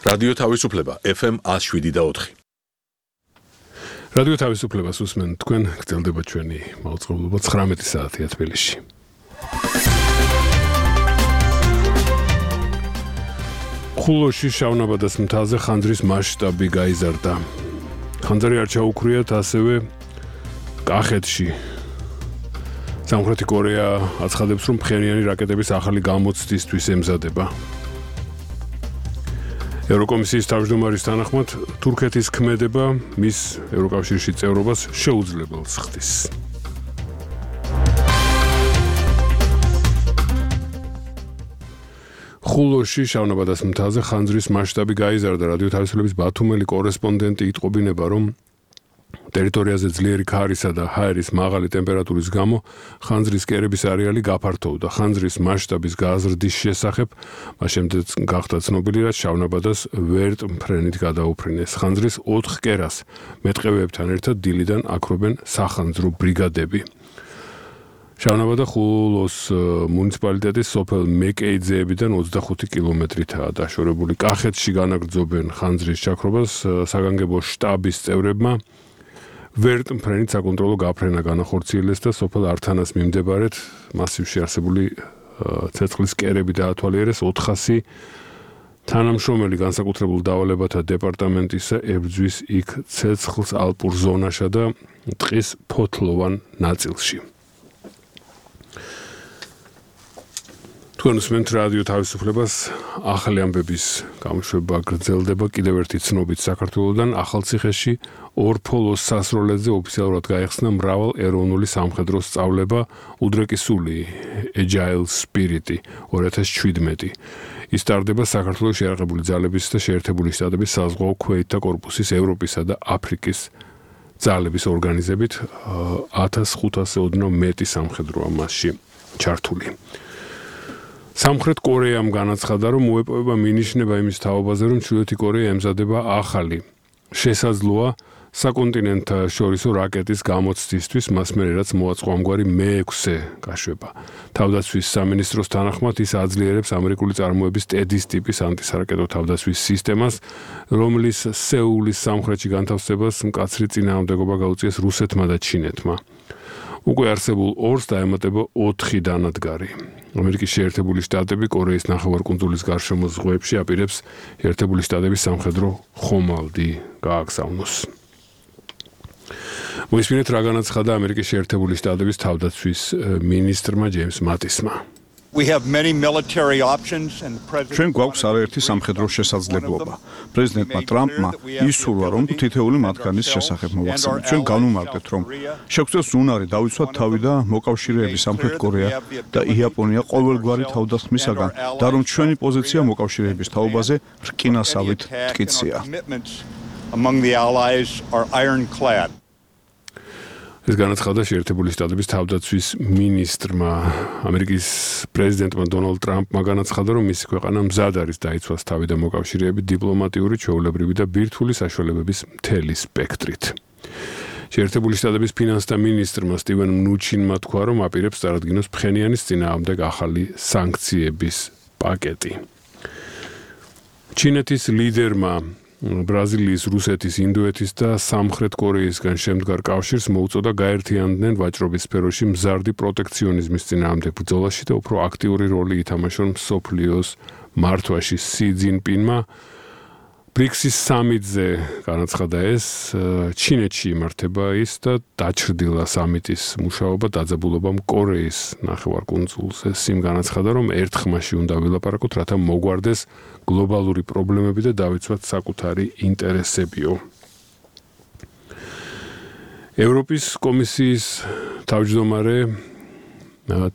რადიო თავისუფლება FM 107.4. რადიო თავისუფლებას უსმენ თქვენ, გრძელდება ჩვენი მაუწყებლობა 19 საათია თბილისში. ხულოში შავნაბადას მთაზე ხანძრის მასშტაბი გაიზარდა. ხანძარი არ ჩაუქრიათ ასევე კახეთში. სამხრეთი კორეა აცხადებს, რომ ფხენიანი რაკეტების ახალი გამოცდისთვის ემზადება. ევროკომისიის თავმჯდომარის თანახმად, თურქეთის ქმედება მის ევროკავშირში წევრობას შეუძლებელს ხდის. ხულოში შავნაბადას მთაზე ხანძრის მასშტაბი გაიზარდა. რადიო თავისუფლების ბათუმელი კორესპონდენტი იტყობინება, რომ ტერიტორიაზე ძლიერი ქარისა და ჰაერის მაღალი ტემპერატურის გამო ხანძრის კერების არეალი გაფართოვდა. ხანძრის მასშტაბის გაზრდის შესახებ მას შემდეგ გახდა ცნობილი, რაც შავნაბადას ვერტმფრენით გადაუფრინეს. ხანძრის 4 კერას მეტყევეებთან ერთად დილიდან აქრობენ სახანძრო ბრიგადები. შავნაბადა ხულოს მუნიციპალიტეტის სოფელ მეკეიძეებიდან 25 კილომეტრითაა დაშორებული. კახეთში განაგრძობენ ხანძრის ჩაქრობას საგანგებო შტაბის წევრებმა. ვერტმფრენით საკონტროლო გაფრენა განახორციელეს და სოფელ ართანას მიმდებარედ მასივში არსებული ცეცხლის კერები დაათვალიერეს. 400 თანამშრომელი განსაკუთრებულ დავალებათა დეპარტამენტისა ებრძვის იქ ცეცხლს ალპურ ზონაშა და ტყის ფოთლოვან ნაწილში. თქვენ უსმენთ რადიო თავისუფლებას, ახალი ამბების გამოშვება გრძელდება. კიდევ ერთი ცნობით საქართველოდან ახალციხეში ორფოლოს სასროლედზე ოფიციალურად გაიხსნა მრავალ ეროვნული სამხედრო სწავლება უდრეკისული Agile Spirit 2017. ის ტარდება საქართველოს შეიარაღებული ძალების და შეერთებული შტატების საზღვაო ქვეითთა კორპუსის ევროპისა და აფრიკის ძალების ორგანიზებით 1500 ოდნავ მეტი სამხედროა მასში ჩართული. სამხრეთ კორეამ განაცხადა, რომ უეპოვება მინიშნება იმის თაობაზე, რომ ჩრდილოეთი კორეა ემზადება ახალი შესაძლოა საკონტინენტთა შორისო რაკეტის გამოცდისთვის, მას მერე რაც მოაწყო ამგვარი მე-6 გაშვება. თავდაცვის სამინისტროს თანახმად ის აძლიერებს ამერიკული წარმოების ტედის ტიპის ანტისარაკეტო თავდაცვის სისტემას, რომლის სეულის სამხრეთში განთავსებას მკაცრი წინააღმდეგობა გაუწიეს რუსეთმა და ჩინეთმა. უკვე არსებულ 2-ს დაემატება 4 დანადგარი. ამერიკის შეერთებული შტატები კორეის ნახევარკუნძულის გარშემო ზღვებში აპირებს შეერთებული შტატების სამხედრო ხომალდი გააგზავნოს. მოისმინეთ, რა განაცხადა ამერიკის შეერთებული შტატების თავდაცვის მინისტრმა ჯეიმს მატისმა. ჩვენ გვაქვს არაერთი სამხედრო შესაძლებლობა. პრეზიდენტმა ტრამპმა ისურვა, რომ თითეული მათგანის შესახებ მოვახსენოთ. ჩვენ განვუმარტებთ, რომ შეგვწევს უნარი დავიცვათ თავი და მოკავშირეების სამხრეთ კორეა და იაპონია ყოველგვარი თავდასხმისაგან და რომ ჩვენი პოზიცია მოკავშირეების თაობაზე რკინასავით მტკიცია. ეს განაცხადა შეერთებული შტატების თავდაცვის მინისტრმა. ამერიკის პრეზიდენტმა დონალდ ტრამპმა განაცხადა, რომ მისი ქვეყანა მზად არის დაიცვას თავი და მოკავშირეები დიპლომატიური, ჩვეულებრივი და ბირთვული საშუალებების მთელი სპექტრით. შეერთებული შტატების ფინანსთა მინისტრმა სტივენ მნუჩინმა თქვა, რომ აპირებს წარადგინოს ფხენიანის წინააღმდეგ ახალი სანქციების პაკეტი. ჩინეთის ლიდერმა ბრაზილიის, რუსეთის, ინდოეთის და სამხრეთ კორეისგან შემდგარ კავშირს მოუწოდა გაერთიანდნენ ვაჭრობის სფეროში მზარდი პროტექციონიზმის წინააღმდეგ ბრძოლაში და უფრო აქტიური როლი ითამაშონ მსოფლიოს მართვაში. სი ძინპინმა ბრიქსის სამიტზე განაცხადა ეს, ჩინეთში იმართება ის და დაჩრდილა სამიტის მუშაობა დაძაბულობამ კორეის ნახევარკუნძულზე. სიმ განაცხადა, რომ ერთ ხმაში უნდა ვილაპარაკოთ, რათა მოგვარდეს გლობალური პრობლემები და დავიცვათ საკუთარი ინტერესებიო. ევროპის კომისიის თავმჯდომარე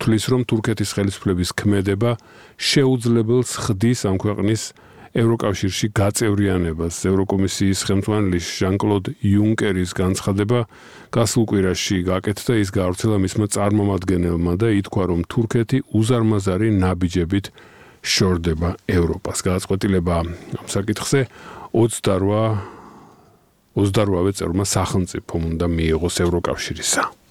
თვლის, რომ თურქეთის ხელისუფლების ქმედება შეუძლებელს ხდის ამ ქვეყნის ევროკავშირში გაწევრიანებას. ევროკომისიის ხელმძღვანელი ჟან-კლოდ იუნკერის განცხადება გასულ კვირაში გაკეთდა, ის გაავრცელა მისმა წარმომადგენელმა და ითქვა, რომ თურქეთი უზარმაზარი ნაბიჯებით შორდება ევროპას. გადაწყვეტილება ამ საკითხზე 28-ვე წევრმა სახელმწიფომ უნდა მიიღოს ევროკავშირისა.